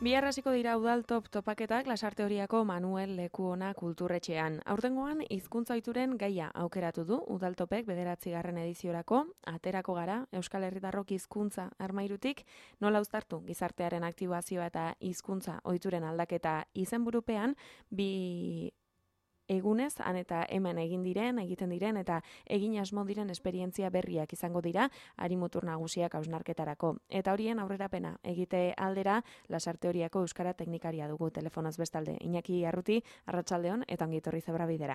Bihar hasiko dira udal topaketak Lasarte Horiako Manuel Lekuona kulturretxean. Aurtengoan hizkuntza ohituren gaia aukeratu du udaltopek 9. ediziorako. Aterako gara Euskal Herritarrok hizkuntza armairutik nola uztartu gizartearen aktibazioa eta hizkuntza ohituren aldaketa izenburupean bi egunez, han eta hemen egiten diren eta egin asmo diren esperientzia berriak izango dira harimutur nagusiak hausnarketarako. Eta horien aurrerapena egite aldera Lasarte Horiako euskara teknikaria dugu telefonoz bestalde. Iñaki Arruti, arratsaldeon eta ongi etorri Zebrabidera.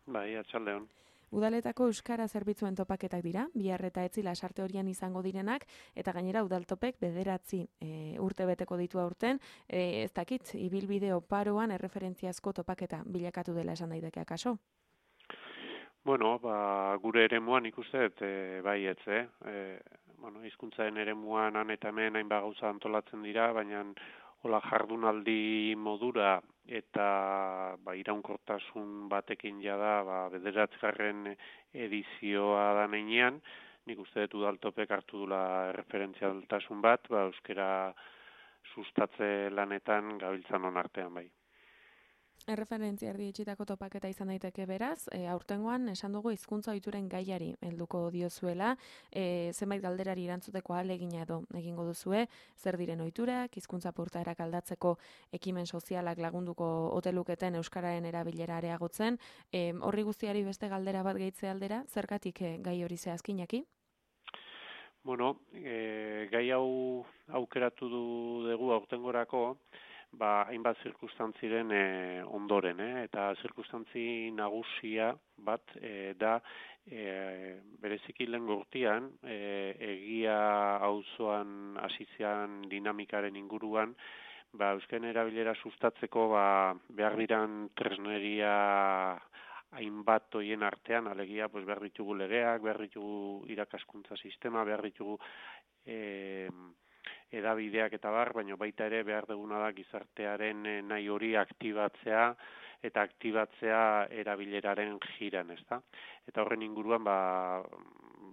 Bai, arratsaldeon. Udaletako euskara zerbitzuen topaketak dira, bihar eta etzi Lasarte Horian izango direnak, eta gainera udaltopek 9 urte beteko ditu aurten, ez dakit, ibilbide oparoan erreferentziazko topaketa bilakatu dela esan daiteke akaso? Bueno, gure eremuan ikuste dut, bai etze, hizkuntzaren eremuan han eta hemen hainbat gauza antolatzen dira, baina hola jardunaldi modura eta iraunkortasun batekin jada 9. edizioa da neinean, nik uste dut udaltopek hartu dula referentzialtasun bat, euskara sustatze lanetan gabiltzanon artean bai. Erreferentzia erdietsitako topaketa izan daiteke beraz, aurtengoan esan dugu hizkuntza ohituren gaiari helduko diozuela, zenbait galderari erantzuteko ahalegina edo egingo duzue, zer diren ohiturak, hizkuntza portaerak aldatzeko ekimen sozialak lagunduko ote luketen euskararen erabilera areagotzen, horri guztiari beste galdera bat gehitze aldera, zergatik gai hori zehazkinaki? Bueno, gai hau aukeratu dugu aurtengorako, hainbat zirkunstantziren ondoren, eta zirkunstantzi nagusia bat da bereziki lehengo urtean egia auzoan hasizean dinamikaren inguruan, euskaren erabilera sustatzeko behar diran tresneria hainbat hoien artean, alegia behar ditugu legeak, behar ditugu irakaskuntza sistema, behar ditugu edabideak eta baina baita ere behar duguna da gizartearen nahi hori aktibatzea eta aktibatzea erabileraren jiran, ezta? Eta horren inguruan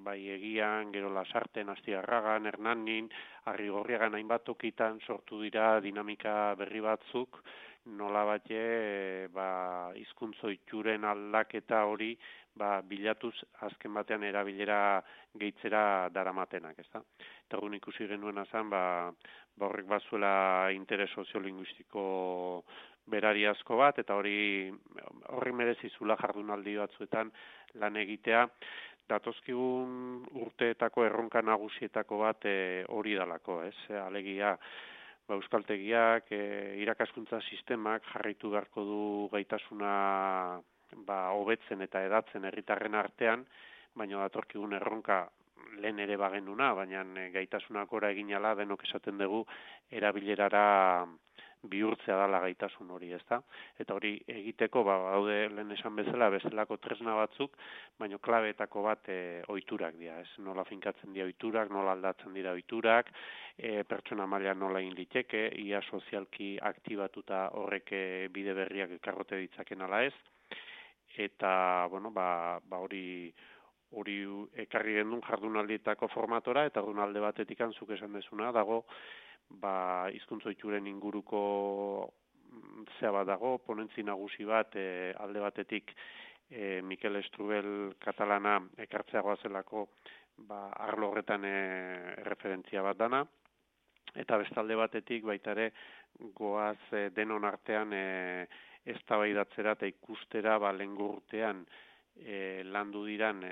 bai Egian, gero Lasarten, Astigarragan, Hernanin, Arrigorriagan hainbat tokitan sortu dira dinamika berri batzuk, nolabait hizkuntza ohituren aldaketa hori bilatuz azken batean erabilera gehitzera daramatenak, ezta? Eta egun ikusi genuena zen, horrek bazuela interes soziolinguistiko berariazko bat, eta horri merezizula jardunaldi batzuetan lan egitea, datozkigun urteetako erronka nagusietako bat hori dalako, ez? Alegia, euskaltegiak, irakaskuntza sistemak jarraitu beharko du gaitasuna hobetzen eta edatzen herritarren artean, baina datorkigun erronka lehen ere bagenuna, baina gaitasunak ora egin ala denok esaten dugu erabilerara bihurtzea dela gaitasun hori, ezta? Eta hori egiteko daude lehen esan bezala bestelako tresna batzuk, baina klabeetako bat ohiturak dira, ez? Nola finkatzen dira ohiturak, nola aldatzen dira ohiturak, pertsona mailan nola egin liteke, ia sozialki aktibatuta horrek bide berriak ekarrote ditzaken ala ez. Eta, hori ekarri gendun jardunaldietako formatora, eta jardunalde batetik zuk esan dezuna, dago, hizkuntza ohituren inguruko zea bat dago, ponentzi nagusi bat, alde batetik Mikel Estrubel katalana ekartzeagoa zelako, arlo horretan referentzia bat dana, eta bestalde batetik baita ere goaz denon artean eztabaidatzera eta ikustera lehengo urtean landu diran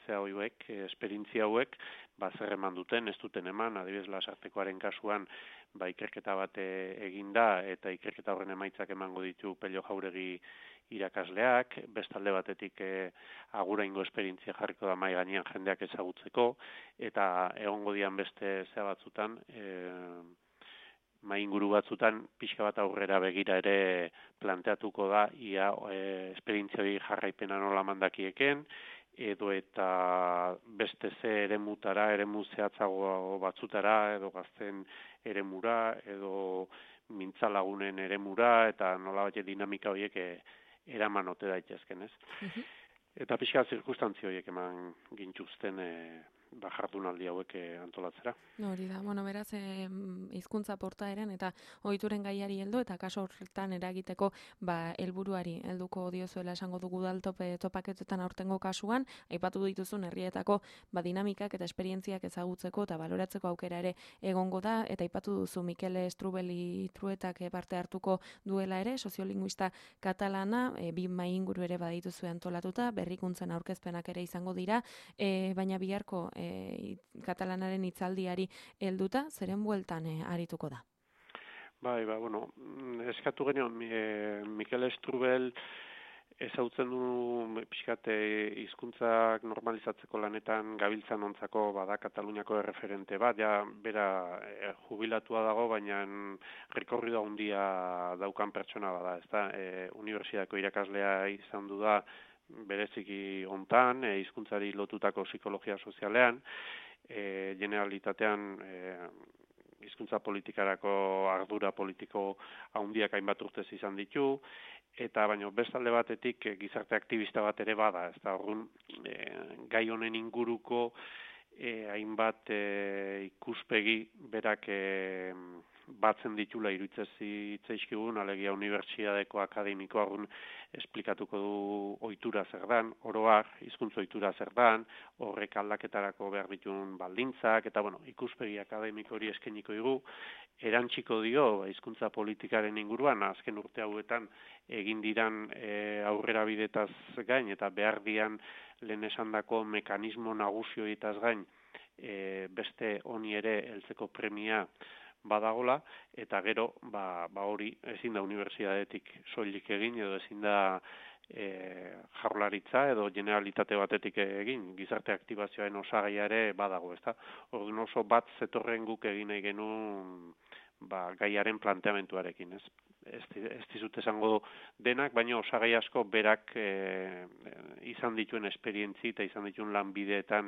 esperientzia hauek, zer eman duten, ez duten eman, adibidez Lasartekoaren kasuan ikerketa bat egin da, eta ikerketa horren emaitzak emango ditu Pello Jauregi irakasleak, bestalde batetik aguraingo esperientzia jarriko da mahai gainean jendeak ezagutzeko, eta egongo dian beste batzutan, mahai inguru batzutan pixka bat aurrera begira ere planteatuko da ia esperientzia hori jarraipena nola mandakieken, edo eta beste eremu zehatzago batzutara, edo gazten eremura, edo mintzalagunen eremura, eta nolabait dinamika horiek eraman ote daitezken, ez? Eta pixka zirkustantzia horiek eman gintuzten jardunaldi hauek antolatzera. Hori da, beraz, hizkuntza portaeren eta ohituren gaiari heldu eta kaso horretan eragiteko helburuari helduko diozuela esango dugu udaltope topaketetan aurtengo kasuan, aipatu dituzun herrietako dinamikak eta esperientziak ezagutzeko eta baloratzeko aukera ere egongo da, eta aipatu duzu Mikel Strubeli Truetak parte hartuko duela ere, soziolinguista katalana, 2 mahai inguru ere badituzue antolatuta, berrikuntzen aurkezpenak ere izango dira, baina biharko katalanaren hitzaldiari helduta, zeren bueltan arituko da? Bai, eskatu genion, Mikel Strubel ezautzen du pixkat hizkuntzak normalizatzeko lanetan gabiltzan ontzako bada Kataluniako erreferente bat, ja bera jubilatua dago, baina rekorrido handia daukan pertsona bada, ezta? Unibertsitateko irakaslea izan du da bereziki hontan, hizkuntzari lotutako psikologia sozialean, generalitatean hizkuntza politikarako ardura politiko handiak hainbat urtez izan ditu, eta baino bestalde batetik gizarte aktivista bat ere bada, ezta? Orduan gai honen inguruko hainbat ikuspegi berak batzen ditula iruditzen zitzaizkigun, alegia unibertsitateko akademikoa esplikatuko du ohitura zer dan, oro har, hizkuntza ohitura zer dan, horrek aldaketarako behar dituen baldintzak, eta ikuspegi akademiko hori eskainiko digu, erantziko dio hizkuntza politikaren inguruan, azken urte hauetan egin diran aurrera bidetaz gain, eta behar dian lehen esandako mekanismo nagusioetaz gain, beste honi ere heltzeko premia badagola, eta gero, hori ezin da unibertsitatetik soilik egin, edo ezin da jaurlaritza edo generalitate batetik egin, gizarte aktibazioaren osagaia ere badago, ezta? Orduan oso bat zetorren guk egin nahi genuen gaiaren planteamentuarekin, ez? Ez dizut esango denak, baina osagai asko berak izan dituen esperientzi eta izan dituen lanbideetan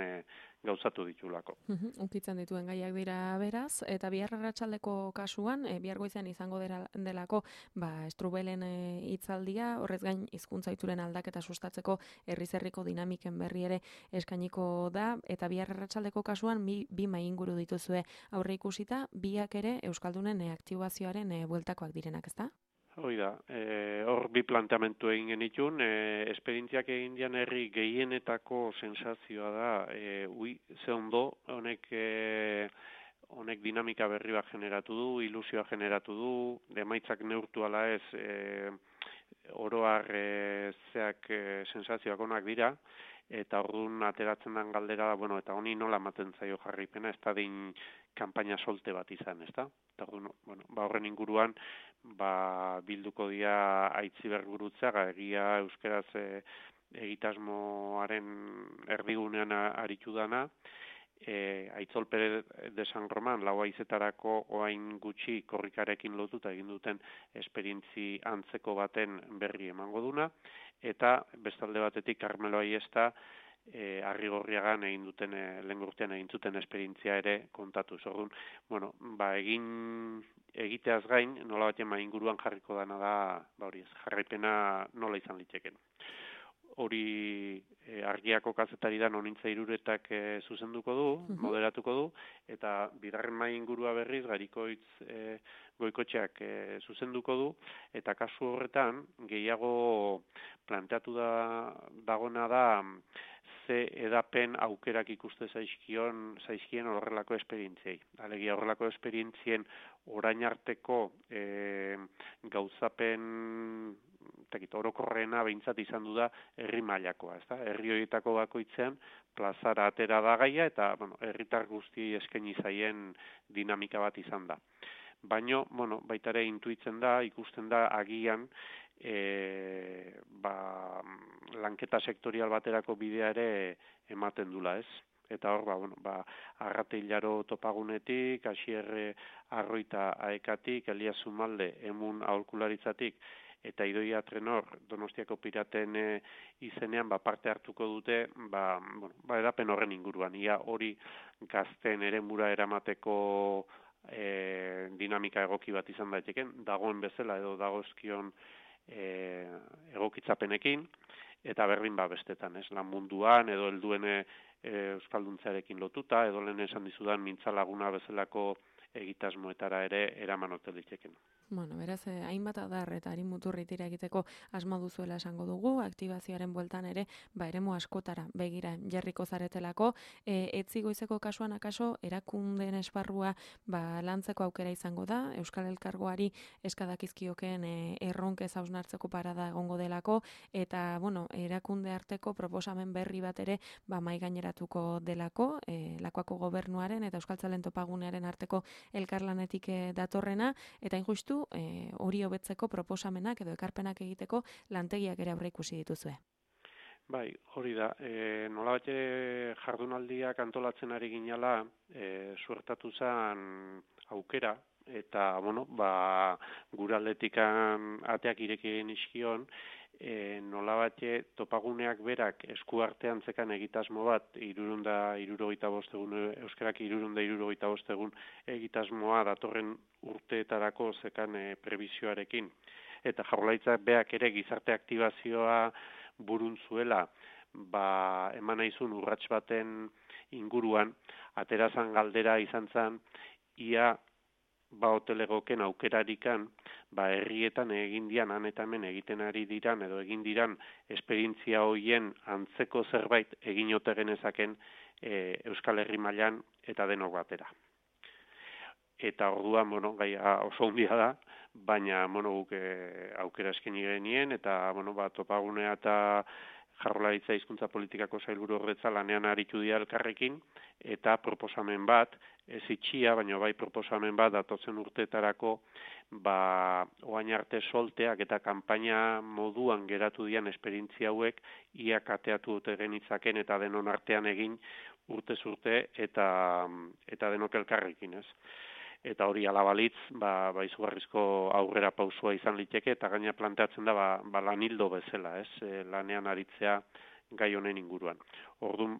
gauzatu ditulako. Ukitzen dituen gaiak dira beraz, eta bihar arratsaldeko kasuan, bihar goizean izango delako Strubelen hitzaldia, horrez gain hizkuntza ohituren aldaketa sustatzeko herriz-herriko dinamiken berri ere eskainiko da, eta bihar arratsaldeko kasuan 2 mahai inguru dituzue aurre ikusita, biak ere euskaldunen aktibazioaren bueltakoak direnak, ezta? Hoi da, hor bi planteamentu egin genitun, esperientziak egin dian herri gehienetako sensazioa da, ze ondo, honek dinamika berri bat generatu du, ilusioa generatu du, emaitzak neurtu ala ez, oroar zeak sensazioak onak dira, eta orduan ateratzen den galdera da, eta honi nola ematen zaio jarraipena, ez da din kanpaina solte bat izan, ez da? Eta horren inguruan, bilduko dira Aitzibergurutzea, egia euskaraz egitasmoaren erdigunean aritu dana, Aitzol Perez de San Roman, lau haizetarako oain gutxi korrikarekin lotuta egin duten esperientzi antzeko baten berri emango duna, eta bestalde batetik Carmelo Aiesta Arrigorriagan egin duten lehen urtean egin zuten esperientzia ere kontatu. Orduan, egiteaz gain, nola batean inguruan jarriko dana da, jarraipena nola izan liteken. Hori Argiako kazetari da Nonintza Iruretak zuzenduko du, moderatuko du, eta bigarren mahai ingurua berriz Garikoitz Goikotxeak zuzenduko du, eta kasu horretan gehiago planteatu dagona da ze edapen aukerak ikuste zaizkien horrelako esperientziei. Alegia horrelako esperientzien orain arteko gauzapen orokorrena behintzat izan du da herri mailakoa, ezta? Herri horietako bakoitzean plazara atera da gaia eta herritar guzti eskaini zaien dinamika bat izan da. Baina, baita ere intuitzen da, ikusten da agian lanketa sektorial baterako bidea ere ematen dula, ez? Eta hor, Arrate Hilaro topagunetik, Asier Arroita Aekatik, Elias Zumalde, Emun aholkularitzatik, eta Idoia Trenor Donostiako Piraten izenean parte hartuko dute, edapen horren inguruan. Ia hori gazten eremura eramateko dinamika egoki bat izan daiteken, dagoen bezala edo dagozkion egokitzapenekin, eta berdin bestetan, ez, lan munduan, edo helduen euskalduntzearekin lotuta, edo lehen esan dizudan mintzalaguna bezalako egitasmoetara ere eraman ote liteken. Bueno, beraz, hainbat adar eta harin muturritira egiteko asmo duzuela esango dugu, aktibazioaren bueltan ere, eremu askotara begira jarriko zaretelako, etzi goizeko kasuan akaso, erakundeen esparrua lantzeko aukera izango da, Euskal Elkargoari eskadakizkioken erronkez hausnartzeko parada egongo delako, eta, erakunde arteko proposamen berri bat ere, mai gaineratuko delako, Lakuako gobernuaren eta Euskaltzalen topagunearen arteko elkarlanetik datorrena, eta injustu hori hobetzeko proposamenak edo ekarpenak egiteko lantegiak ere aurreikusi dituzue. Bai, hori da. Nolabait jardunaldiak antolatzen ari ginela, suertatu zen aukera, eta, gure aldetikan ateak ireki nizkion, nolabait topaguneak berak eskuartean zekan egitasmo bat, 365 egun, euskarak 365 egun egitasmoa datorren urteetarako zekan prebizioarekin. Eta Jaurlaritzak beak ere gizarte aktibazioa burun zuela, eman naizun urrats baten inguruan, aterazan galdera izan zen, ia hotelegoken aukerarikan, herrietan egin dian, han eta hemen egiten ari diran, edo egin diran esperientzia hoien antzeko zerbait egin ote genezaken Euskal Herri mailan eta denok batera. Eta orduan, gaia oso handia da, baina, guk aukera eskaini genien, eta, topagunea eta Jaurlaritza hizkuntza politikako sailburu ordetza lanean aritu dira elkarrekin, eta proposamen bat, ez itxia, baina bai proposamen bat datotzen urteetarako, oain arte solteak eta kanpaina moduan geratu dian esperientzia hauek, ia kateatu dute genitzaken eta denon artean egin urtez urte eta denok elkarrekin, ez? Eta hori alabalitz, izugarrizko aurrera pausua izan liteke, eta gaina planteatzen da, lanildo bezala, ez? Lanean aritzea gai honen inguruan. Orduan,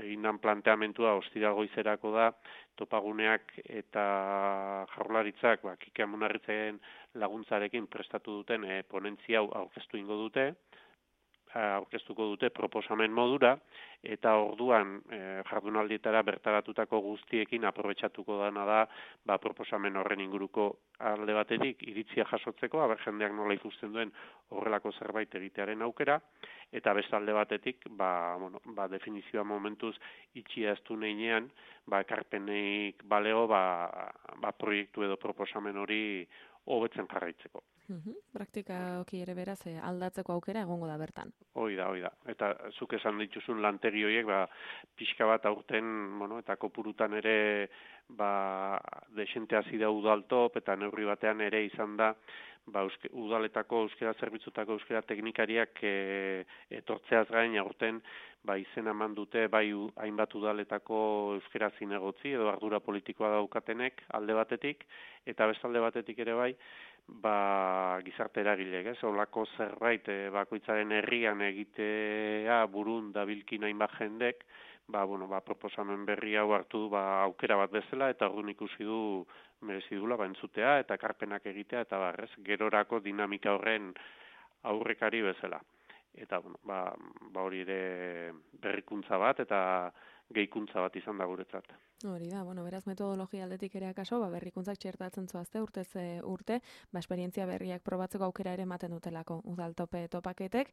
egindan planteamentua ostira goizerako da, topaguneak eta Jaurlaritzak, Kike Amunarritzen laguntzarekin prestatu duten ponentzia hau aurkeztuko dute proposamen modura, eta orduan jardunaldietara bertaratutako guztiekin aprobetxatuko dana da proposamen horren inguruko alde batetik iritzia jasotzeko, jendeak nola ikusten duen horrelako zerbait egitearen aukera, eta beste alde batetik, definizioa momentuz itxia ez du neinean, ekarpenik balego, proiektu edo proposamen hori hobetzen jarraitzeko. Praktika oki ere beraz aldatzeko aukera egongo da bertan. Hoi da. Eta zuk esan dituzun lantegi horiek, pixka bat aurten, eta kopurutan ere, desente hasi da udaltop, eta neurri batean ere izan da, udaletako euskera zerbitzutako euskera teknikariak etortzeaz gain aurten, izen eman dute, hainbat udaletako euskera zinegotzi, edo ardura politikoa daukatenek alde batetik, eta beste alde batetik ere gizarte eragilek, olako zerbait bakoitzaren herrian egitea burun dabilkin hainbat jendek, proposamen berri hau hartu aukera bat bezala, eta orduan ikusi du merezi dula entzutea eta ekarpenak egitea, eta gerorako dinamika horren aurrekari bezala. Eta hori ere berrikuntza bat eta gehikuntza bat izan da guretzat. Hori da, beraz metodologia aldetik ere akaso, berrikuntzak txertatzen zoazte urtez urte, esperientzia berriak probatzeko aukera ere ematen dutelako udaltope topaketek.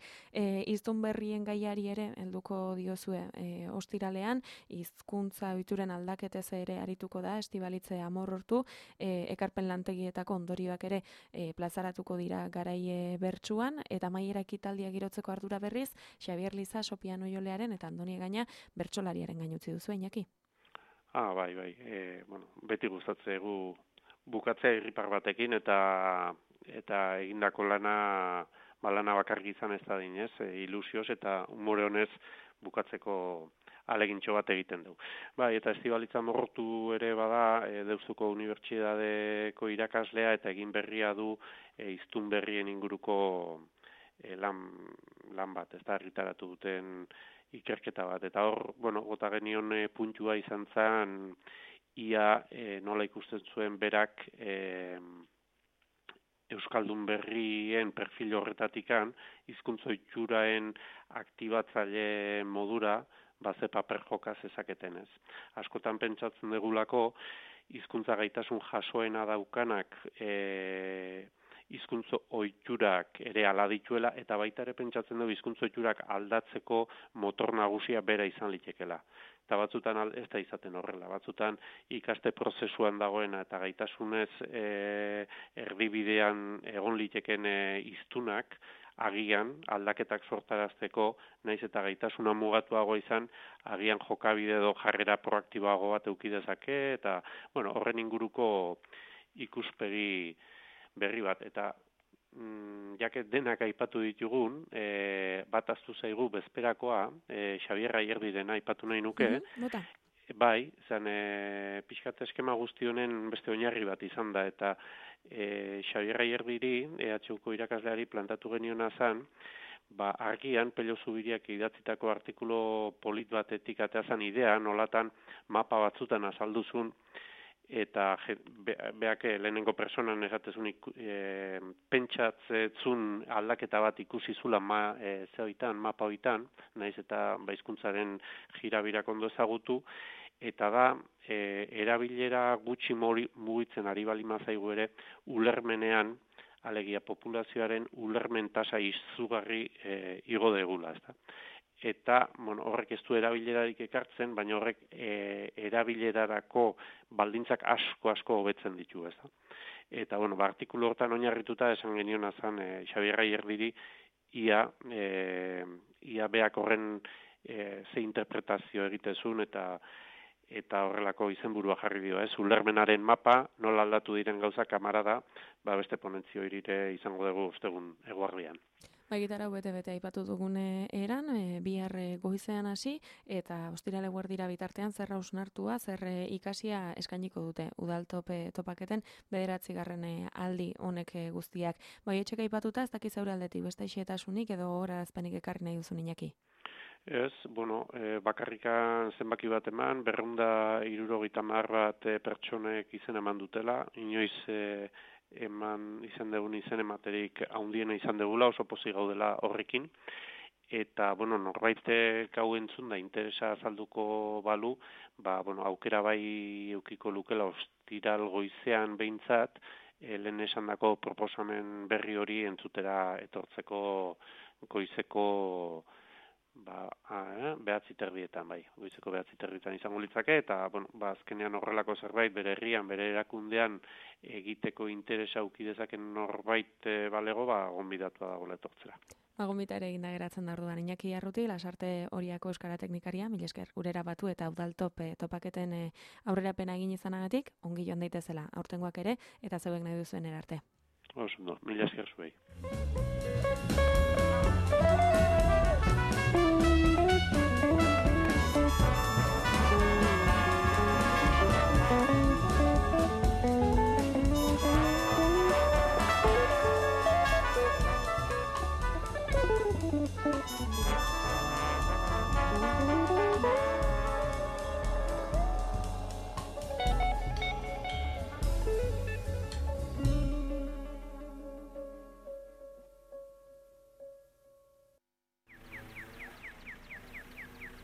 Hiztun berrien gaiari ere helduko diozue ostiralean, hizkuntza ohituren aldaketez ere arituko da, Estibalitze Amorortu, ekarpen lantegietako ondorioak ere plazaratuko dira garaie bertsuan, eta amaiera ekitaldia girotzeko ardura berriz, Xabier Liza, Sopiano Jolearen eta Andoni Gaina bertsolariaren gain utzi duzu, Iñaki. Bai. Beti gustatzegu bukatzea irripar batekin eta egindako lana bakarrik izan ez da dinez, ilusioz eta umore honez bukatzeko alegintxo bat egiten du. Eta Estibalitza Amorortu ere bada, Deustuko Unibertsitateko irakaslea eta egin berria du hiztun berrien inguruko lan bat, ez da argitaratu duten ikerketa bat. Eta hor, gota genion puntua izan zen, ia nola ikusten zuen berak euskaldun berrien perfil horretatikan hizkuntza ohituraen aktibatzaile modura ze paper joka zezaketen ez. Askotan pentsatzen degulako hizkuntza gaitasun jasoena daukanak hizkuntza ohiturak ere hala dituela eta baita ere pentsatzen dugu hizkuntza ohiturak aldatzeko motor nagusia bera izan litekela. Eta batzutan ez da izaten horrela, batzutan ikaste prozesuan dagoena eta gaitasunez erdibidean egon liteken hiztunak agian aldaketak sortarazteko, naiz eta gaitasuna mugatuago izan, agian jokabide edo jarrera proaktiboago bat eduki dezake eta horren inguruko ikuspegi berri bat eta jaket denak aipatu ditugun, bat aztu zaigu bezperakoa, Xabier Ayerdirena aipatu nahi nuke, bai, zan pixkat eskema guzti honen beste oinarri bat izan da, eta Xabier Ayerdiri, EHUko irakasleari plantatu geniona zan, argian Pello Zubiriak idatzitako artikulu polit batetik ateazan idea, nolatan mapa batzutan azalduzun, eta beak lehenengo personan esatezun pentsatzezun aldaketa bat ikusi zula mapa hoitan, naiz eta hizkuntzaren jirabirak ondo ezagutu, eta da erabilera gutxi mugitzen ari balima zaigu ere ulermenean, alegia populazioaren ulermen tasa izugarri igo degula, ezta. Eta horrek ez du erabilerarik ekartzen, baina horrek erabilerarako baldintzak asko hobetzen ditu, ez da. Eta, artikulu hortan oinarrituta esan geniona zan Xabier Ayerdiri ia beak horren ze interpretazio egitezun eta horrelako izenburua jarri dio, ez? Ulermenaren mapa, nola aldatu diren gauza kamarada, beste ponentzio irire izango dugu ostegun eguardian. Gitara bete aipatu dugun eran, bihar goizean hasi eta ostirale guardira bitartean zer hausnartua, zer ikasia eskainiko dute udaltopaketen 9. aldi honek guztiak. Etxek aipatuta ez dakiz zaure aldetik beste xehetasunik edo horazpanik ekarri nahi duzun Iñaki? Ez, bakarrikan zenbaki bat eman, 270 bat pertsonek izen eman dutela, inoiz eman izan dugun izen ematerik haundiena izan dugula, oso pozik gaudela horrekin, eta, norbaitek hau entzun da interesa azalduko balu, aukera bai eukiko lukela ostiral goizean behintzat, lehen esandako proposamen berri hori entzutera etortzeko goizeko 9:30 goizeko 9:30 izango litzake, eta, azkenean horrelako zerbait bere herrian, bere erakundean egiteko interesa auki dezaken norbait balego, gonbidatua dagoela etortzera. Gonbita ere eginda geratzen da orduan Iñaki Arruti, Lasarte Oriako euskara teknikaria, mila esker gurera batu eta topaketen aurrerapena egin izanagatik, ongi joan daitezela aurtengoak ere, eta zeuek nahi duzuen erarte. Oso, mila esker zuei.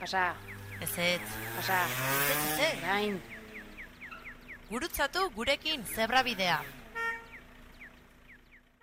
Pasa. Ez. Pasa. Ez. Gain. Gurutzatu gurekin zebrabidea.